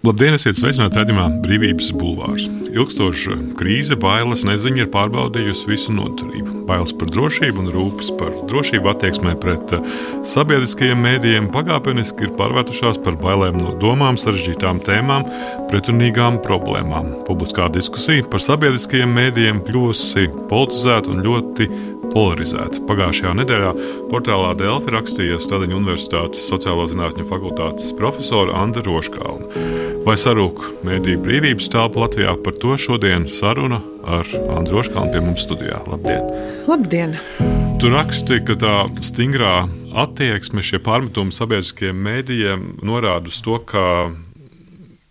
Labdien, esiet sveicināti raidījumā Brīvības bulvārs. Ilgstoša krīze, bailes, neziņa ir pārbaudījusi visu noturību. Bailes par drošību un rūpes par drošību attieksmē pret sabiedriskajiem mēdījiem pakāpeniski ir pārvērtušās par bailēm no domām, sarežģītām tēmām, pretrunīgām problēmām. Publiskā diskusija par sabiedriskajiem mēdījiem kļuvusi politizēta un ļoti polarizēta. Pagājušajā nedēļā portālā Delfi rakstīja Stadiņu Universitātes sociālo zinātņu fakultātes profesora Anda Roškalna. Vai sarūk mēdīju brīvības telpa Latvijā? Par to šodien saruna ar Andu Roškalnu pie mums studijā. Labdien! Labdien! Tu raksti, ka tā stingrā attieksme, šie pārmetumi sabiedriskajiem mēdījiem norāda uz to, ka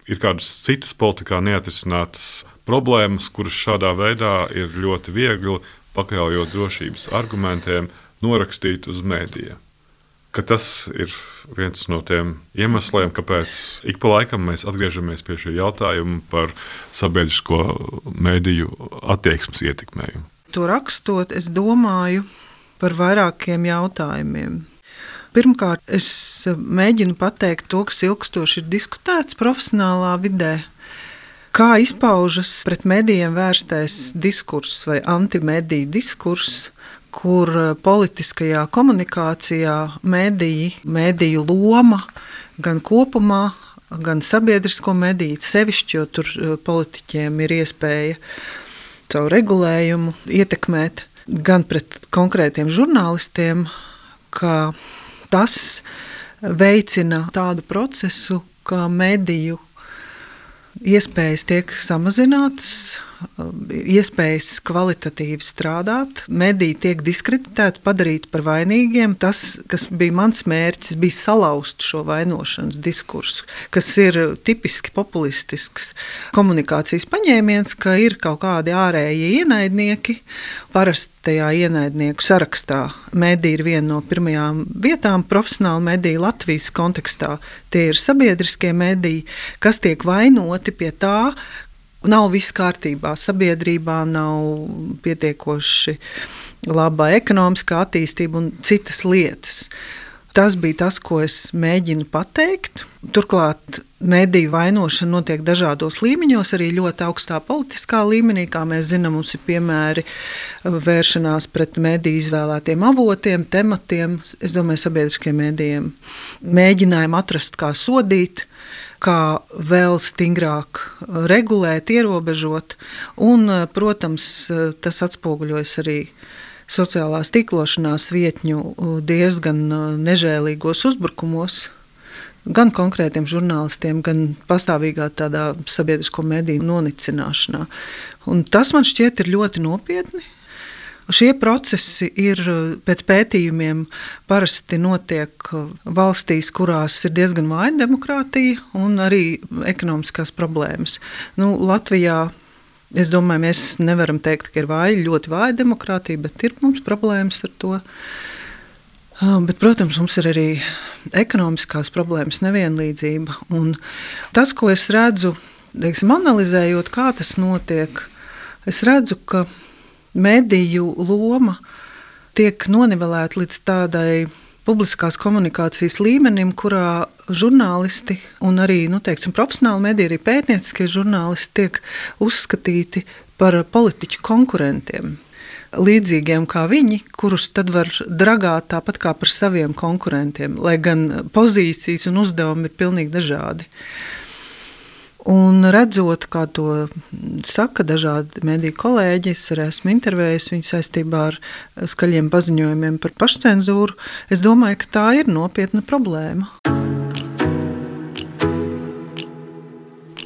ir kādas citas politikā neatrisinātas problēmas, kuras šādā veidā ir ļoti viegli, pakļaujot drošības argumentiem, norakstīt uz mēdījiem. Ka tas ir viens no tiem iemesliem, kāpēc ik pa laikam mēs atgriežamies pie šī jautājuma par sabiedrisko mēdīju attieksmes ietekmējumu. To rakstot, es domāju par vairākiem jautājumiem. Pirmkārt, es mēģinu pateikt to, kas ilgstoši ir diskutēts profesionālā vidē. Kā izpaužas pret medijiem vērstais diskurss vai antimediju diskurss, kur politiskajā komunikācijā mediju loma gan kopumā, gan sabiedrisko mediju sevišķi, jo tur politiķiem ir iespēja caur regulējumu ietekmēt gan pret konkrētiem žurnālistiem, ka tas veicina tādu procesu, kā mediju iespējas tiek samazinātas, iespējas kvalitatīvi strādāt, mediji tiek diskreditēti, padarīti par vainīgiem. Tas, kas bija mans mērķis, bija salauzt šo vainošanas diskursu, kas ir tipiski populistisks komunikācijas paņēmiens, ka ir kaut kādi ārējie ienaidnieki. Parasti tajā ienaidnieku sarakstā mediji ir viena no pirmajām vietām profesionāli mediji Latvijas kontekstā. Tie ir sabiedriskie mediji, kas tiek vainoti pie tā, nav viss kārtībā, sabiedrībā nav pietiekoši laba ekonomiskā attīstība un citas lietas. Tas bija tas, ko es mēģinu pateikt. Turklāt mediju vainošana notiek dažādos līmeņos, arī ļoti augstā politiskā līmenī. Kā mēs zinām, mums ir piemēri vēršanās pret mediju izvēlētiem avotiem, tematiem, es domāju, sabiedriskiem medijiem. Mēģinājumu atrast, kā sodīt, kā vēl stingrāk regulēt, ierobežot. Un, protams, tas atspoguļojas arī sociālās tīklošanās vietņu diezgan nežēlīgos uzbrukumos, gan konkrētiem žurnālistiem, gan pastāvīgā tādā sabiedrisko mediju nonicināšanā. Un tas man šķiet ir ļoti nopietni. Šie procesi ir pēc pētījumiem parasti notiek valstīs, kurās ir diezgan vāja demokrātija un arī ekonomiskās problēmas. Latvijā, es domāju, mēs nevaram teikt, ka ir ļoti vāja demokrātija, bet ir mums problēmas ar to. Bet, protams, mums ir arī ekonomiskās problēmas, nevienlīdzība. Un tas, ko es redzu, analizējot, kā tas notiek, es redzu, ka mediju loma tiek nonivelēta līdz tādai publiskās komunikācijas līmenim, kurā žurnālisti un arī, profesionāli mediji, arī pētnieciskie žurnālisti tiek uzskatīti par politiķu konkurentiem. Līdzīgiem kā viņi, kurus tad var dragāt tāpat kā par saviem konkurentiem, lai gan pozīcijas un uzdevumi ir pilnīgi dažādi. Un redzot, kā to saka dažādi mediju kolēģi, es arī esmu intervējis viņu saistībā ar skaļiem paziņojumiem par pašcenzūru, es domāju, ka tā ir nopietna problēma.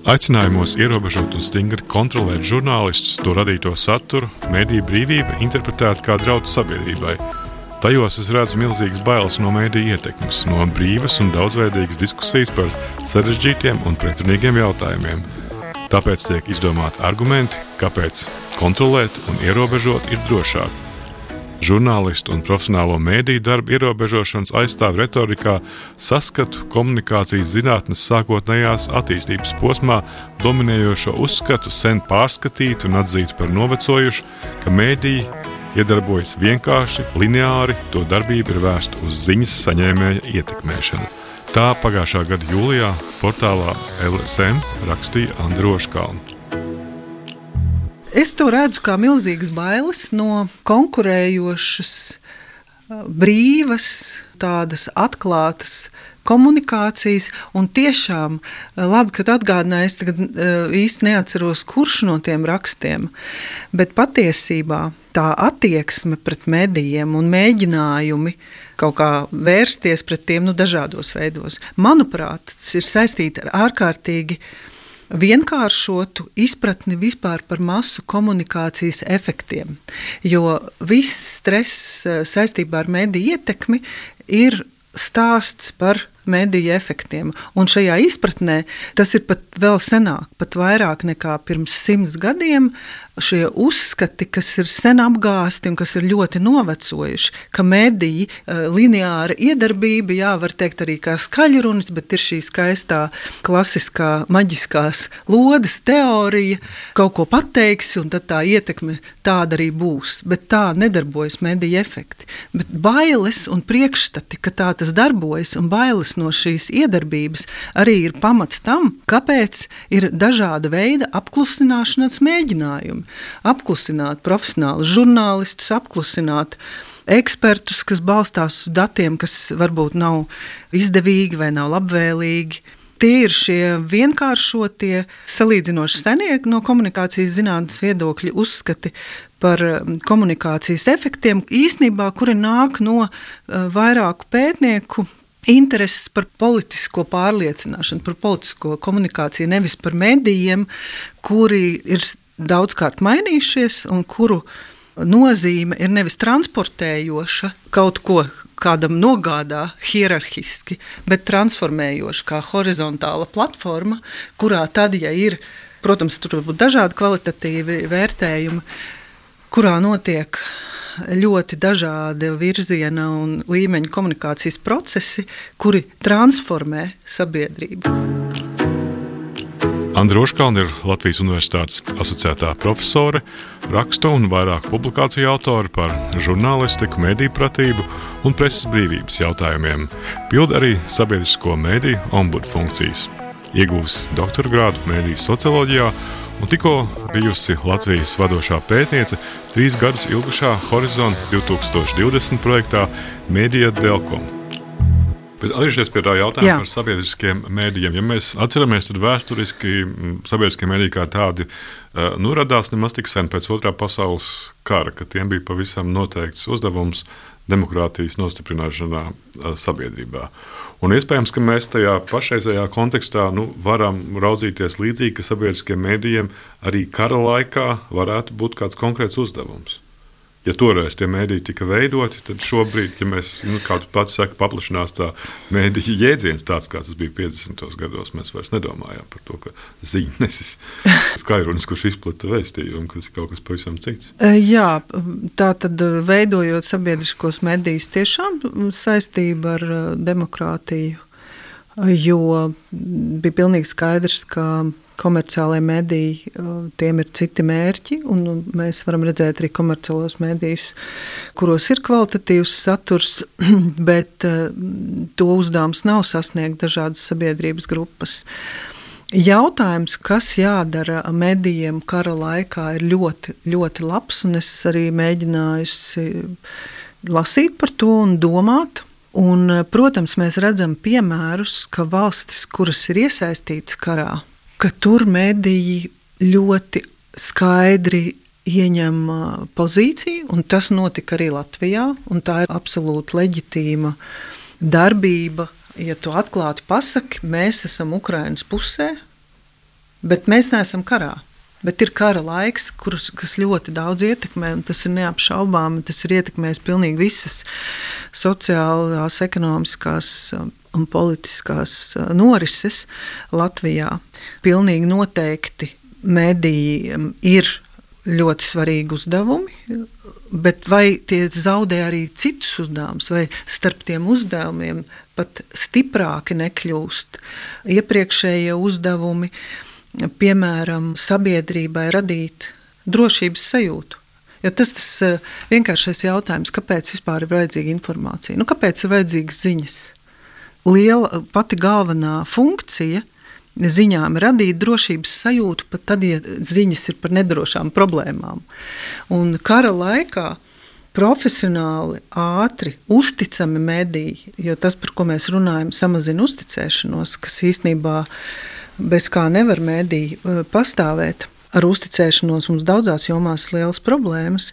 Aicinājumos ierobežot un stingri kontrolēt žurnālistus, to radīto saturu, mediju brīvība interpretēta kā draudz sabiedrībai. Tajos es redzu milzīgas bailes no mediju ietekmes, no brīvas un daudzveidīgas diskusijas par sarežģītiem un pretrunīgiem jautājumiem. Tāpēc tiek izdomāti argumenti, kāpēc kontrolēt un ierobežot ir drošāk. Žurnālistu un profesionālo mediju darbu ierobežošanas aizstāv retorikā saskatu komunikācijas zinātnes sākotnējās attīstības posmā dominējošo uzskatu sen pārskatītu un atzītu par novecojušu, ka mediji iedarbojas vienkārši, lineāri, to darbība ir vērsta uz ziņas saņēmēja ietekmēšanu. Tā pagājušā gada jūlijā portālā LSM rakstīja Andra Ožkalna. Es to redzu kā milzīgas bailes no konkurējošas, brīvas, tādas atklātas komunikācijas, un tiešām labi, kad atgādināju, es tagad īsti neatceros, kurš no tiem rakstiem, bet patiesībā tā attieksme pret medijiem un mēģinājumi kaut kā vērsties pret tiem dažādos veidos, manuprāt, tas ir saistīti ar ārkārtīgi vienkāršotu izpratni vispār par masu komunikācijas efektiem, jo viss stress saistībā ar mediju ietekmi ir stāsts par mediju efektiem. Un šajā izpratnē tas ir pat vēl senāk, pat vairāk nekā pirms 100 gadiem, šie uzskati, kas ir sen apgāsti un kas ir ļoti novecojuši, ka mediji, lineāra iedarbība, jā, var teikt arī kā skaļrunis, bet ir šī skaistā, klasiskā, maģiskās lodes teorija, kaut ko pateiksi, un tad tā ietekme tāda arī būs. Bet tā nedarbojas mediju efekti. Bet bailes un priekšstati, ka tā tas darbojas, un bailes no šīs iedarbības arī ir pamats tam, kāpēc ir dažāda veida apklusināšanas mēģinājumi. Apklusināt profesionālus žurnālistus, apklusināt ekspertus, kas balstās uz datiem, kas varbūt nav izdevīgi vai nav labvēlīgi. Tie ir šie vienkāršotie, salīdzinoši senie no komunikācijas zinātnes viedokļa uzskati par komunikācijas efektiem, īstenībā, kuri nāk no vairāku pētnieku intereses par politisko pārliecināšanu, par politisko komunikāciju, nevis par medijiem, kuri ir daudzkārt mainījušies un kuru nozīme ir nevis transportējoša kaut ko kādam nogādā hierarhiski, bet transformējoša kā horizontāla platforma, kurā tad, ja ir, protams, tur var būt dažādi kvalitatīvi vērtējumi, kurā notiek ļoti dažādi virziena un līmeņa komunikācijas procesi, kuri transformē sabiedrību. Andra Ožkalna ir Latvijas Universitātes asociētā profesore, rakstu un vairāku publikāciju autori par žurnālistiku, mediju pratību un preses brīvības jautājumiem. Pilda arī sabiedrisko mediju ombudu funkcijas. Ieguvusi doktora grādu mediju socioloģijā un tikko bijusi Latvijas vadošā pētniece 3 gadus ilgušā Horizont 2020 projektā Media Delcom. Bet atgriežoties pie tā jautājuma par sabiedriskiem mēdījiem, ja mēs atceramies, tad vēsturiski sabiedriskie mēdīji kā tādi radās nemaz tik sen pēc Otrā pasaules kara, ka tiem bija pavisam noteikts uzdevums demokrātijas nostiprināšanā sabiedrībā. Un iespējams, ka mēs tajā pašreizējā kontekstā varam raudzīties līdzīgi, ka sabiedriskiem mēdījiem arī kara laikā varētu būt kāds konkrēts uzdevums. Ja toreiz tie mēdīji tika veidoti, tad šobrīd, ja mēs, kā tu pats saki, paplašinās tā mēdīja jēdziens tāds, kāds tas bija 50. gados, mēs vairs nedomājām par to, ka ziņa nesis skaļrunis, kurš izplata vēstījumu, ka tas ir kaut kas pavisam cits. Jā, tā tad veidojot sabiedriskos medijus tiešām saistība ar demokrātiju, jo bija pilnīgi skaidrs, ka komerciālajie mediji, tiem ir citi mērķi, un mēs varam redzēt arī komerciālos medijus, kuros ir kvalitatīvs saturs, bet to uzdevums nav sasniegt dažādas sabiedrības grupas. Jautājums, kas jādara medijiem kara laikā, ir ļoti, ļoti labs, un es arī mēģinājusi lasīt par to un domāt. Un, protams, mēs redzam piemērus, ka valstis, kuras ir iesaistītas karā, ka tur mediji ļoti skaidri ieņem pozīciju, un tas notika arī Latvijā, un tā ir absolūti leģitīma darbība. Ja tu atklāti pasaki, mēs esam Ukrainas pusē, bet mēs neesam karā. Bet ir kara laiks, kas ļoti daudz ietekmē, un tas ir neapšaubāmi, tas ir ietekmējis pilnīgi visas sociālās, ekonomiskās un politiskās norises Latvijā. Pilnīgi noteikti medijiem ir ļoti svarīgi uzdevumi, bet vai tie zaudē arī citus uzdevumus, vai starp tiem uzdevumiem pat stiprāki nekļūst iepriekšējie uzdevumi, piemēram, sabiedrībai radīt drošības sajūtu. Jo tas vienkāršais jautājums, kāpēc vispār ir vajadzīga informācija? Kāpēc ir vajadzīgas ziņas? pati galvenā funkcija ziņām ir radīt drošības sajūtu, pat tad, ja ziņas ir par nedrošām problēmām. Un kara laikā profesionāli, ātri, uzticami mediji, jo tas, par ko mēs runājam, samazina uzticēšanos, kas īstenībā bez kā nevar mediji pastāvēt. Ar uzticēšanos mums daudzās jomās lielas problēmas,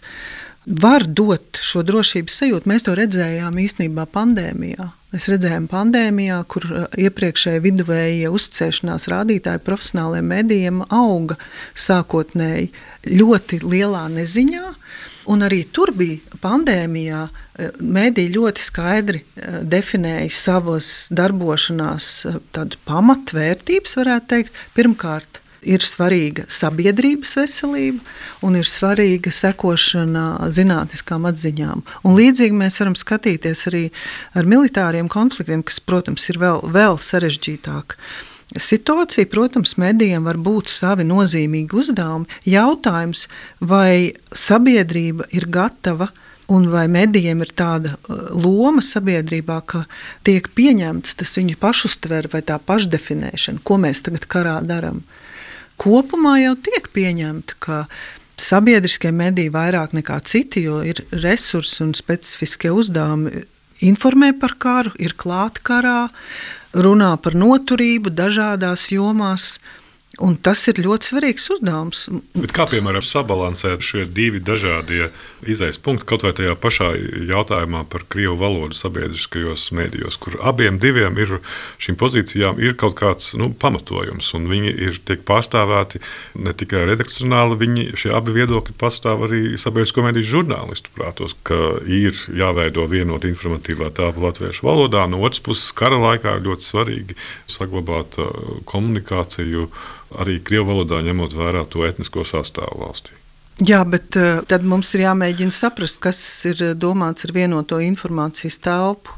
var dot šo drošības sajūtu. Mēs to redzējām īstenībā pandēmijā. Mēs redzējām pandēmijā, kur iepriekšēji viduvējie uzticēšanās rādītāji profesionāliem medijiem auga sākotnēji ļoti lielā neziņā. Un arī tur bija pandēmijā, mediji ļoti skaidri definēja savas darbošanās tādu pamatvērtības, varētu teikt. Pirmkārt, ir svarīga sabiedrības veselība un ir svarīga sekošana zinātniskām atziņām. Un līdzīgi mēs varam skatīties arī ar militāriem konfliktiem, kas, protams, ir vēl sarežģītāk. Situācija, protams, medijiem var būt savi nozīmīgi uzdevumi. Jautājums, vai sabiedrība ir gatava un vai medijiem ir tāda loma sabiedrībā, ka tiek pieņemts tas viņu pašuztver vai tā pašdefinēšana, ko mēs tagad karā daram. Kopumā jau tiek pieņemta, ka sabiedriskie mediji vairāk nekā citi, jo ir resursi un specifiskie uzdevumi, informē par karu, ir klāt karā, runā par noturību dažādās jomās, un tas ir ļoti svarīgs uzdevums. Bet kā, piemēram, sabalansēt šie divi dažādie izejas punkti, kaut vai tajā pašā jautājumā par krievu valodu sabiedriskajos mēdījos, kur abiem diviem ir šīm pozīcijām ir kaut kāds pamatojums, un viņi tiek pārstāvēti ne tikai redakcionāli, šie abi viedokļi pastāv arī sabiedrisko mēdīju žurnālistu prātos, ka ir jāveido vienota informatīvā telpa latviešu valodā, no otras puses kara laikā ir ļoti svarīgi saglabāt komunikāciju arī krievu valodā, ņemot vērā to etnisko sastāvu valstī. Jā, bet tad mums ir jāmēģina saprast, kas ir domāts ar vienoto informācijas telpu.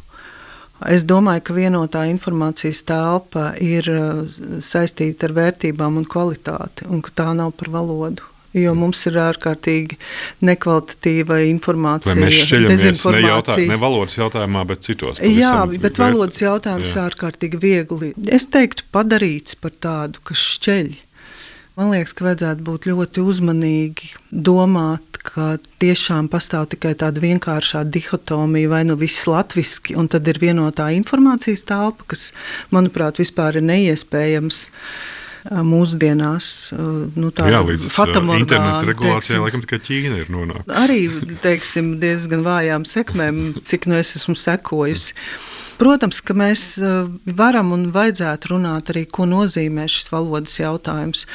Es domāju, ka vienotā informācijas telpa ir saistīta ar vērtībām un kvalitāti, un ka tā nav par valodu. Jo mums ir ārkārtīgi nekvalitatīva informācija, dezinformācija. Ne valodas jautājumā, bet citos. Jā, bet valodas jautājums ārkārtīgi viegli. Es teiktu padarīts par tādu, kas šķeļ. Man liekas, ka vajadzētu būt ļoti uzmanīgi domāt, ka tiešām pastāv tikai tāda vienkāršā dihotomija, vai viss latviski, un tad ir vienotā informācijas telpa, kas, manuprāt, vispār ir neiespējams mūsdienās, līdz interneta regulācijai, laikam tikai Ķīna ir nonākusi. Arī, diezgan vājām sekmēm, cik es esmu sekojusi. Protams, ka mēs varam un vajadzētu runāt arī, ko nozīmē šis valodas jautājums.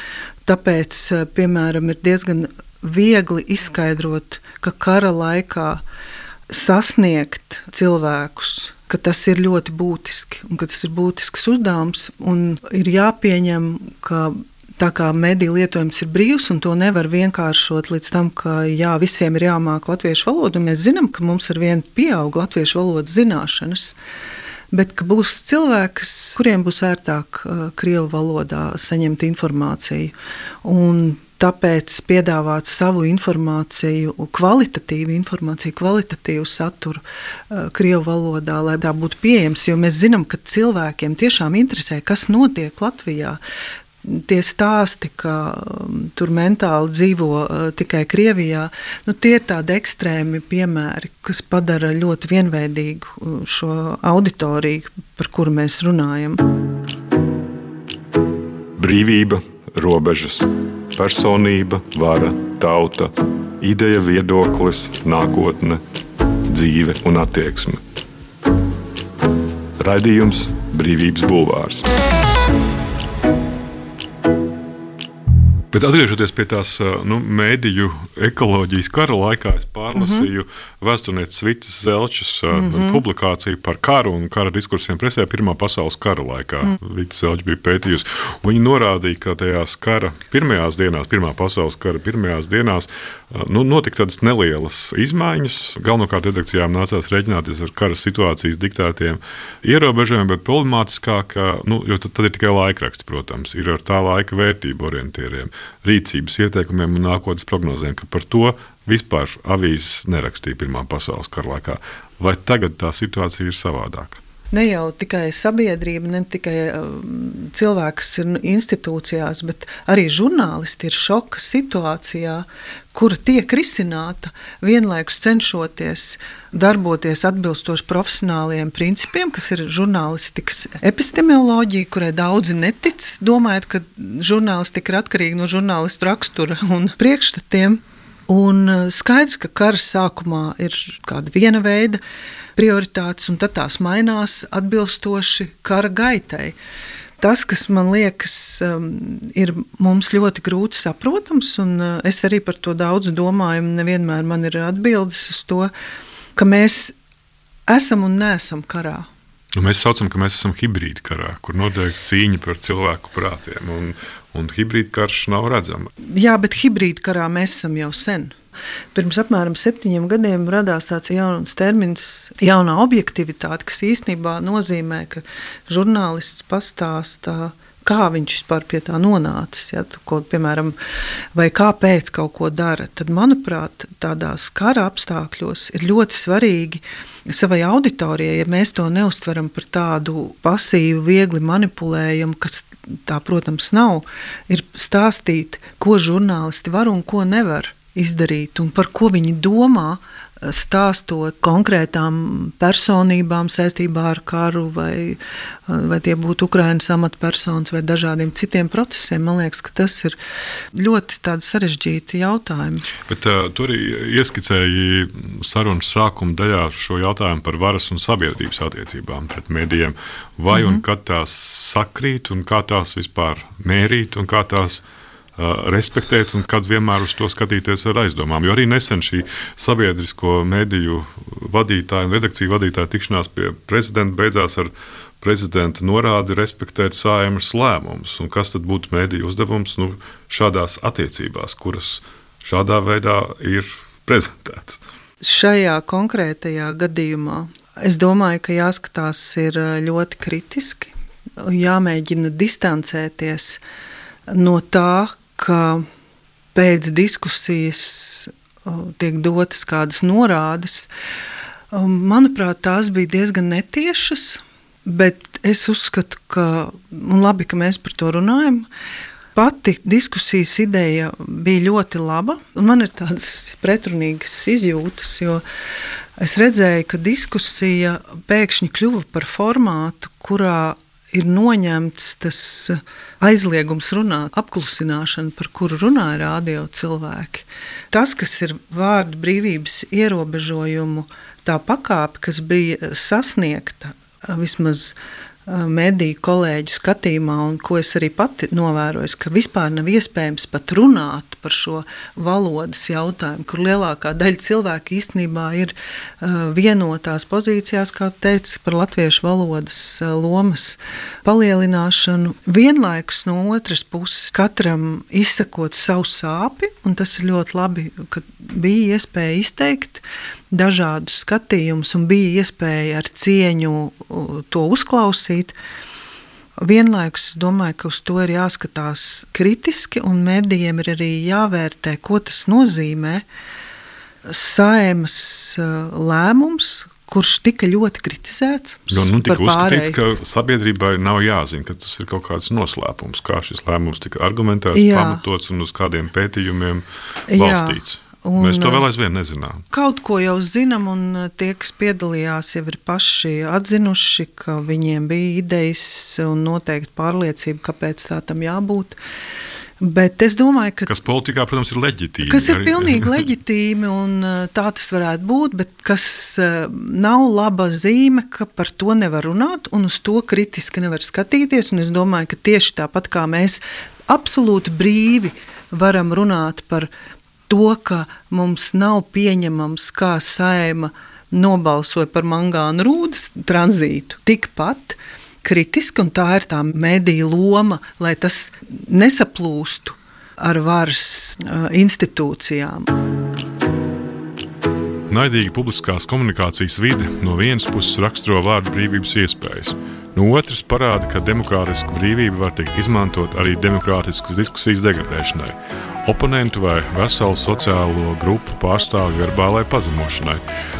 Tāpēc, piemēram, ir diezgan viegli izskaidrot, ka kara laikā sasniegt cilvēkus, ka tas ir ļoti būtiski un ka tas ir būtisks uzdevums un ir jāpieņem, ka tā kā mediju lietojums ir brīvs un to nevar vienkāršot līdz tam, ka visiem ir jāmāk latviešu valodu, un mēs zinām, ka mums ar vienu pieaug latviešu valodas zināšanas, bet ka būs cilvēki, kuriem būs ērtāk krievu valodā saņemt informāciju. Un tāpēc piedāvāt savu informāciju, kvalitatīvu saturu krievu valodā, lai tā būtu pieejams, jo mēs zinām, ka cilvēkiem tiešām interesē, kas notiek Latvijā. Tie stāsti, ka tur mentāli dzīvo tikai Krievijā, tie ir tādi ekstrēmi piemēri, kas padara ļoti vienveidīgu šo auditoriju, par kuru mēs runājam. Brīvība, robežas. Personība, vara, tauta, ideja, viedoklis, nākotne, dzīve un attieksme. Raidījums Brīvības bulvārs. Bet atgriežoties pie tās mēdīju ekoloģijas kara laikā, es pārlasīju vēsturnieces Vitas Zelčas publikāciju par karu un kara diskursiem presē Pirmā pasaules kara laikā. Vita Zelča bija pētījusi. Viņa norādīja, ka tajās kara pirmajās dienās, Pirmā pasaules kara pirmajās dienās, notika tādas nelielas izmaiņas. Galvenokārt redakcijām nācās rēķināties ar kara situācijas diktētiem ierobežojumiem, bet problemātiskāk, jo tad ir tikai laikraksti, protams, ir ar tā laika vērtību orientieriem, rīcības ieteikumiem un nākotnes prognozēm, ka par to vispār avīzes nerakstīja Pirmā pasaules kara laikā. Vai tagad tā situācija ir savādāka? Ne jau tikai sabiedrība, ne tikai cilvēki, kas ir institūcijās, bet arī žurnālisti ir šoka situācijā, kura tiek risināta, vienlaikus cenšoties darboties atbilstoši profesionāliem principiem, kas ir žurnālistikas epistemoloģija, kurai daudzi netic, domājot, ka žurnālistika ir atkarīga no žurnālistu rakstura un priekšstatiem. Un skaidrs, ka kara sākumā ir kāda viena veida prioritātes, un tad tās mainās atbilstoši kara gaitai. Tas, kas man liekas, ir mums ļoti grūti saprotams, un es arī par to daudz domāju, un nevienmēr man ir atbildes uz to, ka mēs esam un neesam karā. Mēs saucam, ka mēs esam hibrīda karā, kur notiek cīņa par cilvēku prātiem, un hibrīda karš nav redzama. Jā, bet hibrīda karā mēs esam jau sen. Pirms apmēram 7 gadiem radās tāds jauns termins, jaunā objektivitāte, kas īstenībā nozīmē, ka žurnālists pastāstā, kā viņš vispār pie tā nonācis, ja, piemēram, vai kāpēc kaut ko dara. Tad, manuprāt, tādās kara apstākļos ir ļoti svarīgi savai auditorijai, ja mēs to neuztveram par tādu pasīvu, viegli manipulējumu, kas tā, protams, nav, ir stāstīt, ko žurnālisti var un ko nevar izdarīt, un par ko viņi domā, stāstot konkrētām personībām saistībā ar karu, vai tie būtu Ukrainas amatpersonas vai dažādiem citiem procesiem. Man liekas, ka tas ir ļoti tādi sarežģīti jautājumi. Bet tu arī ieskicēji sarunas sākuma daļā šo jautājumu par varas un sabiedrības attiecībām pret medijiem. Vai un kad tās sakrīt, un kā tās vispār mērīt, un kā tās respektēt, un kad vienmēr uz to skatīties ar aizdomām. Jo arī nesen šī sabiedrisko mediju vadītāja un redakciju vadītāja tikšanās pie prezidenta beidzās ar prezidenta norādi respektēt Saeimas lēmumus. Un kas tad būtu mediju uzdevums šādās attiecībās, kuras šādā veidā ir prezentēts? Šajā konkrētajā gadījumā es domāju, ka jāskatās ir ļoti kritiski, jāmēģina distancēties no tā, ka pēc diskusijas tiek dotas kādas norādes. Manuprāt, tās bija diezgan netiešas, bet es uzskatu, ka labi, ka mēs par to runājam. Pati diskusijas ideja bija ļoti laba, un man ir tādas pretrunīgas izjūtas, jo es redzēju, ka diskusija pēkšņi kļuva par formātu, kurā ir noņemts tas aizliegums runāt, apklusināšana, par kuru runāja radio cilvēki. Tas, kas ir vārda brīvības ierobežojumu, tā pakāpe, kas bija sasniegta vismaz mediju kolēģu skatījumā, un ko es arī pati novēroju, ka vispār nav iespējams pat runāt par šo valodas jautājumu, kur lielākā daļa cilvēku īstenībā ir vienotās pozīcijās, kā teica, par latviešu valodas lomas palielināšanu. Vienlaikus no otras puses katram izsakot savu sāpi, un tas ir ļoti labi, ka bija iespēja izteikt dažādus skatījumus un bija iespēja ar cieņu to uzklausīt. Vienlaikus es domāju, ka uz to ir jāskatās kritiski, un medijiem ir arī jāvērtē, ko tas nozīmē. Saeimas lēmums, kurš tika ļoti kritizēts. Tika uzskatīts, ka sabiedrībai nav jāzina, ka tas ir kaut kāds noslēpums, kā šis lēmums tika argumentēts, pamatots un uz kādiem pētījumiem balstīts. Mēs to vēl aizvien nezinām. Kaut ko jau zinām, un tie, kas piedalījās, jau ir paši atzinuši, ka viņiem bija idejas un noteikti pārliecība, kāpēc tā tam jābūt. Bet es domāju, ka kas politikā, protams, ir leģitīmi. Kas ir pilnīgi leģitīmi, un tā tas varētu būt, bet kas nav laba zīme, ka par to nevar runāt, un uz to kritiski nevar skatīties. Un es domāju, ka tieši tāpat kā mēs absolūti brīvi varam runāt par to, ka mums nav pieņemams, kā Saeima nobalsoja par mangānu rūdas tranzītu, tikpat kritiski, un tā ir tā mediju loma, lai tas nesaplūstu ar varas institūcijām. Naidīga publiskās komunikācijas vide no vienas puses raksturo vārda brīvības iespējas, no otras parāda, ka demokrātiska brīvība var tikt izmantot arī demokrātiskas diskusijas degradēšanai, oponentu vai veselu sociālo grupu pārstāvju verbālai pazemošanai.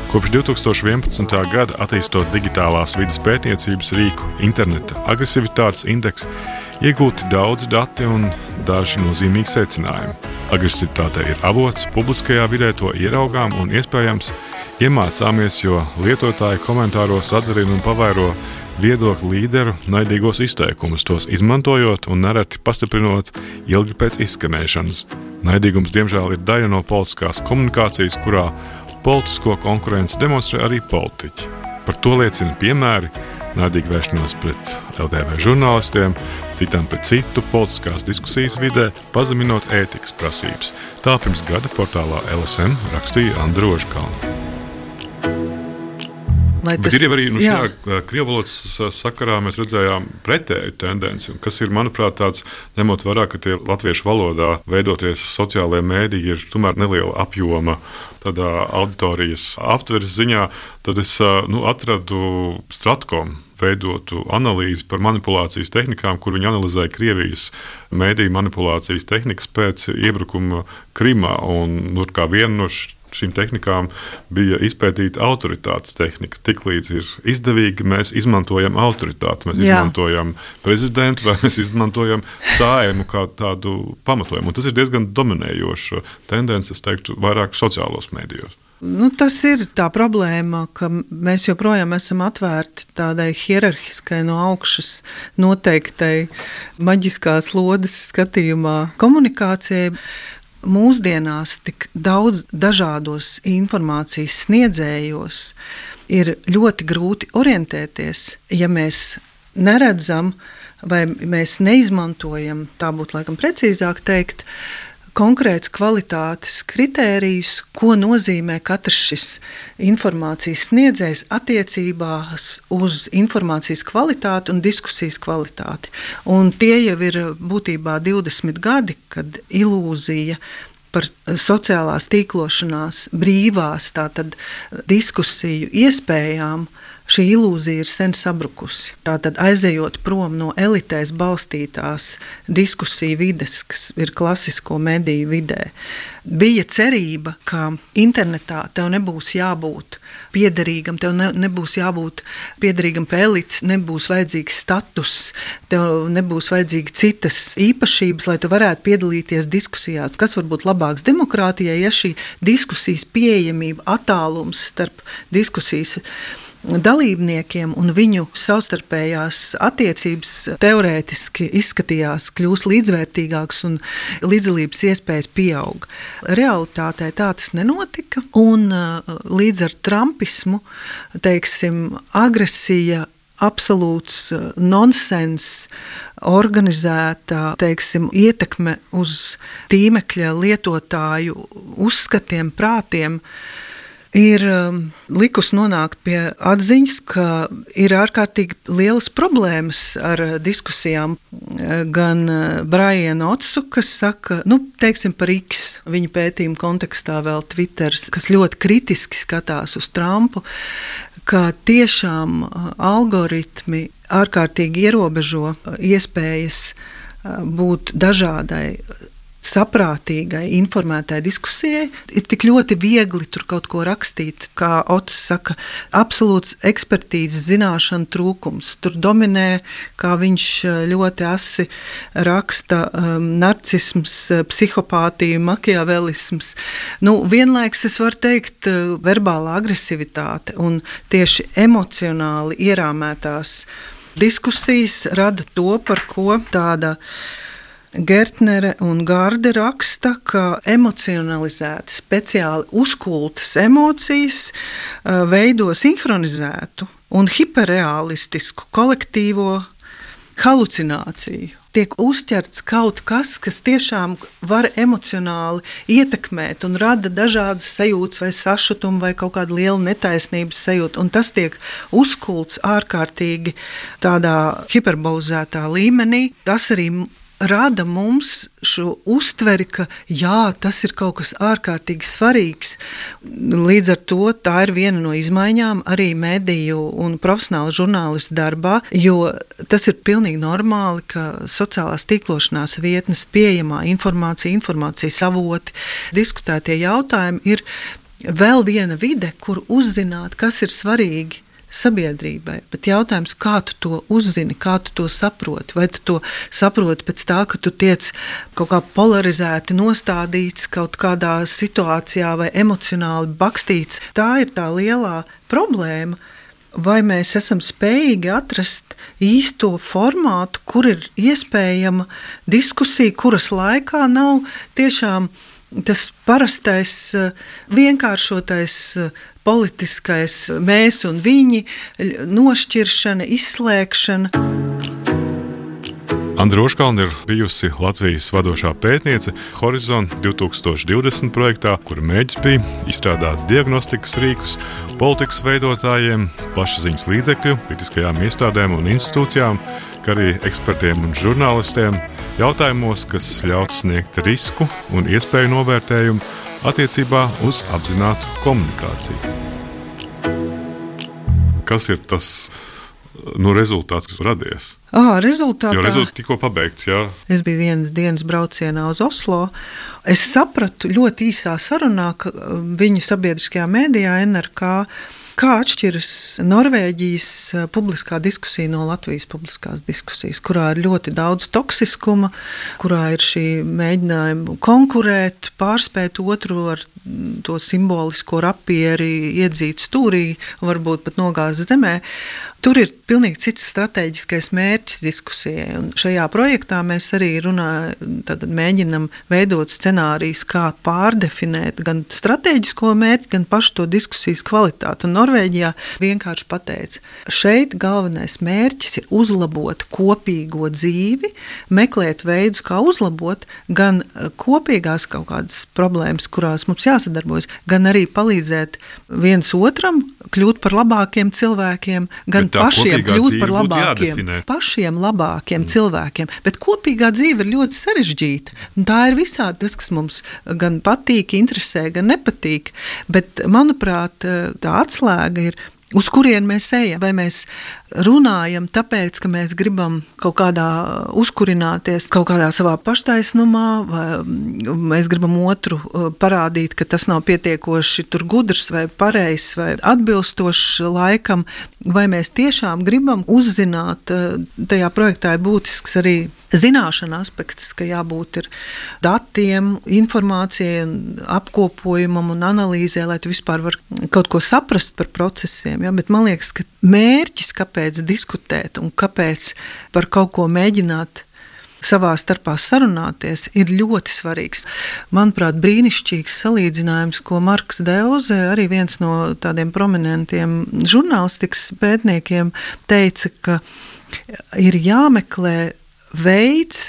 Kopš 2011. gada attīstot digitālās vides pētniecības rīku interneta agresivitātes indeksu, iegūti daudzi dati un daži nozīmīgi secinājumi. Agresivitāte ir avots, publiskajā vidē to ieraugām un iespējams iemācāmies, jo lietotāji komentāros atdarina un pavairo viedokļu līderu naidīgos izteikumus, tos izmantojot un nereti pastiprinot ilgi pēc izskanēšanas. Naidīgums, diemžēl, ir daļa no politiskās komunikācijas, kurā politisko konkurenci demonstrē arī politiķi. Par to liecina piemēri naidīga vēršanās pret LTV žurnālistiem, citam pret citu politiskās diskusijas vidē, pazeminot ētikas prasības. Tā pirms gada portālā LSM rakstīja Andra Ožkalna. Bet ir arī šajā krievvalodas sakarā mēs redzējām pretēju tendenci, kas ir, manuprāt, tāds, ņemot vērā, ka tie latviešu valodā veidoties sociālajie mēdīji ir tomēr neliela apjoma tādā auditorijas aptveres ziņā, tad es atradu Stratkom veidotu analīzi par manipulācijas tehnikām, kur viņi analizēja Krievijas mēdīju manipulācijas tehnikas pēc iebrukuma Krimā, un kā viena no šīm tehnikām bija izpētīta autoritātes tehnika. Tiklīdz ir izdevīgi, mēs izmantojam autoritāti, mēs izmantojam prezidentu vai mēs izmantojam Saeimu kā tādu pamatojumu. Un tas ir diezgan dominējoša tendence, es teiktu, vairāk sociālos mēdījos. Tas ir tā problēma, ka mēs joprojām esam atvērti tādai hierarhiskai no augšas noteiktai maģiskās lodes skatījumā komunikācijai. Mūsdienās tik daudz dažādos informācijas sniedzējos ir ļoti grūti orientēties, ja mēs neredzam vai mēs neizmantojam, tā būtu laikam precīzāk teikt, konkrēts kvalitātes kritērijus, ko nozīmē katrs šis informācijas sniedzējs attiecībās uz informācijas kvalitāti un diskusijas kvalitāti. Un tie jau ir būtībā 20 gadi, kad ilūzija par sociālās tīklošanās brīvās tātad diskusiju iespējām, šī ilūzija ir sen sabrukusi. Tātad aizejot prom no elitēs balstītās diskusiju vides, kas ir klasisko mediju vidē, bija cerība, ka internetā tev nebūs jābūt piederīgam, tev nebūs jābūt piederīgam pie elites, nebūs vajadzīgs status, tev nebūs vajadzīgi citas īpašības, lai tu varētu piedalīties diskusijās. Kas var būt labāks demokrātijai, ja šī diskusijas pieejamība, attālums starp diskusijas dalībniekiem un viņu savstarpējās attiecības teorētiski izskatījās, kļūst līdzvērtīgāks un līdzdalības iespējas pieaug. Realitātē tā tas nenotika, un līdz ar trumpismu, teiksim, agresija, absolūts nonsens, organizēta, teiksim, ietekme uz tīmekļa lietotāju uzskatiem, prātiem, ir likus nonākt pie atziņas, ka ir ārkārtīgi lielas problēmas ar diskusijām. Gan Briana Otsu, kas saka, teiksim par X, viņa pētījuma kontekstā vēl Twitters, kas ļoti kritiski skatās uz Trumpu, ka tiešām algoritmi ārkārtīgi ierobežo iespējas būt dažādai, saprātīgai, informētai diskusijai. Ir tik ļoti viegli tur kaut ko rakstīt, kā Ots saka, absolūts ekspertīzes zināšana trūkums. Tur dominē, kā viņš ļoti asi raksta, narcisms, psihopātija, makiavelisms. Vienlaiks es varu teikt verbālā agresivitāte un tieši emocionāli ierāmētās diskusijas rada to, par ko tāda Gertnere un Gārde raksta, ka emocionalizēti, speciāli uzkultas emocijas veido sinhronizētu un hiperrealistisku kolektīvo halucināciju. Tiek uzķerts kaut kas, kas tiešām var emocionāli ietekmēt un rada dažādas sajūtas vai sašutumu vai kaut kādu lielu netaisnības sajūtu. Un tas tiek uzkults ārkārtīgi tādā hiperbolizētā līmenī. Tas arī rada mums šo uztveri, ka jā, tas ir kaut kas ārkārtīgi svarīgs. Līdz ar to tā ir viena no izmaiņām arī mediju un profesionāla žurnālistu darbā, jo tas ir pilnīgi normāli, ka sociālās tīklošanās vietnes pieejamā informācijas avoti, diskutētie jautājumi ir vēl viena vide, kur uzzināt, kas ir svarīgi sabiedrībai. Bet jautājums, kā tu to uzzini, kā tu to saproti? Vai tu to saproti pēc tā, ka tu tiec kaut kā polarizēti nostādīts kaut kādā situācijā vai emocionāli bakstīts? Tā ir tā lielā problēma. Vai mēs esam spējīgi atrast īsto formātu, kur ir iespējama diskusija, kuras laikā nav tiešām tas parastais, vienkāršotais politiskais mēs un viņi, nošķiršana, izslēgšana. Andra Roškalne ir bijusi Latvijas vadošā pētniece Horizon 2020 projektā, kura mērķis bija izstrādāt diagnostikas rīkus politikas veidotājiem, plašsaziņas līdzekļu, kritiskajām iestādēm un institūcijām, kā arī ekspertiem un žurnālistiem jautājumos, kas ļautu sniegt risku un iespēju novērtējumu attiecībā uz apzinātu komunikāciju. Kas ir tas rezultāts, kas radies? Rezultāts tikko pabeigts, jā. Es biju vienas dienas braucienā uz Oslo. Es sapratu ļoti īsā sarunā, ka viņu sabiedriskajā mēdījā NRK, kā atšķiras Norvēģijas publiskā diskusija no Latvijas publiskās diskusijas, kurā ir ļoti daudz toksiskuma, kurā ir šī mēģinājuma konkurēt, pārspēt otru ar to simbolisko rapieri, iedzīt stūrī, varbūt pat nogāzt zemē. Tur ir pilnīgi cits strateģiskais mērķis diskusijai. Un šajā projektā mēs arī mēģinam veidot scenārijus, kā pārdefinēt gan strateģisko mērķi, gan pašu to diskusijas kvalitāti. Un Norvēģijā vienkārši pateica, šeit galvenais mērķis ir uzlabot kopīgo dzīvi, meklēt veidus, kā uzlabot gan kopīgās kaut kādas problēmas, kurās mums jāsadarbojas, gan arī palīdzēt viens otram kļūt par labākiem cilvēkiem, gan pašiem kļūt par labākiem cilvēkiem. Bet kopīgā dzīve ir ļoti sarežģīta. Tā ir visādi tas, kas mums gan patīk, interesē, gan nepatīk. Bet, manuprāt, tā atslēga ir, uz kurien mēs ejam. Vai mēs runājam tāpēc, ka mēs gribam kaut kādā uzkurināties, kaut kādā savā paštaisnumā, vai mēs gribam otru parādīt, ka tas nav pietiekoši tur gudrs vai pareizs vai atbilstošs laikam, vai mēs tiešām gribam uzzināt, tajā projektā ir būtisks arī zināšana aspekts, ka jābūt ir datiem, informācijai, apkopojumam un analīzē, lai tu vispār var kaut ko saprast par procesiem. Ja? Bet man liekas, ka mērķis, kāpēc diskutēt un kāpēc par kaut ko mēģināt savā starpā sarunāties, ir ļoti svarīgs. Manuprāt, brīnišķīgs salīdzinājums, ko Marks Deuze, arī viens no tādiem prominentiem žurnālistikas pētniekiem, teica, ka ir jāmeklē veids,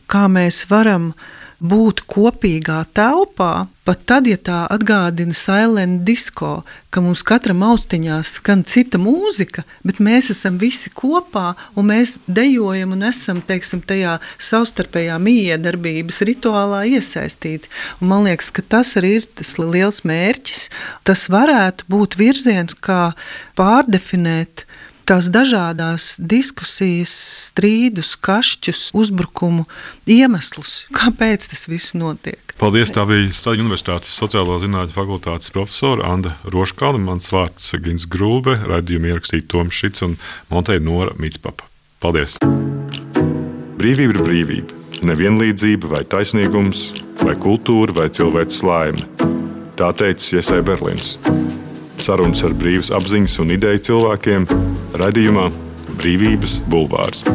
kā mēs varam būt kopīgā telpā, pat tad, ja tā atgādina silent disco, ka mums katram austiņās skan cita mūzika, bet mēs esam visi kopā un mēs dejojam un esam, teiksim, tajā savstarpējā mijiedarbības rituālā iesaistīti. Un man liekas, ka tas arī ir tas liels mērķis. Tas varētu būt virziens, kā pārdefinēt tās dažādās diskusijas, strīdus, kašķus, uzbrukumu iemeslus. Kāpēc tas viss notiek? Paldies, tā bija Staļļu Universitātes sociālo zinātņu fakultātes profesora Andra Roškalne, mans vārds Gins Grūbe, raidījumu ierakstīja Toms Šits un montēja Nora Mitspapa. Paldies! Brīvība ir brīvība. Nevienlīdzība vai taisnīgums, vai kultūra vai cilvēces laime. Tā teica Jesai Berlins. Sarunas ar brīvas apziņas un ideju cilvēkiem raidījumā Brīvības bulvārs.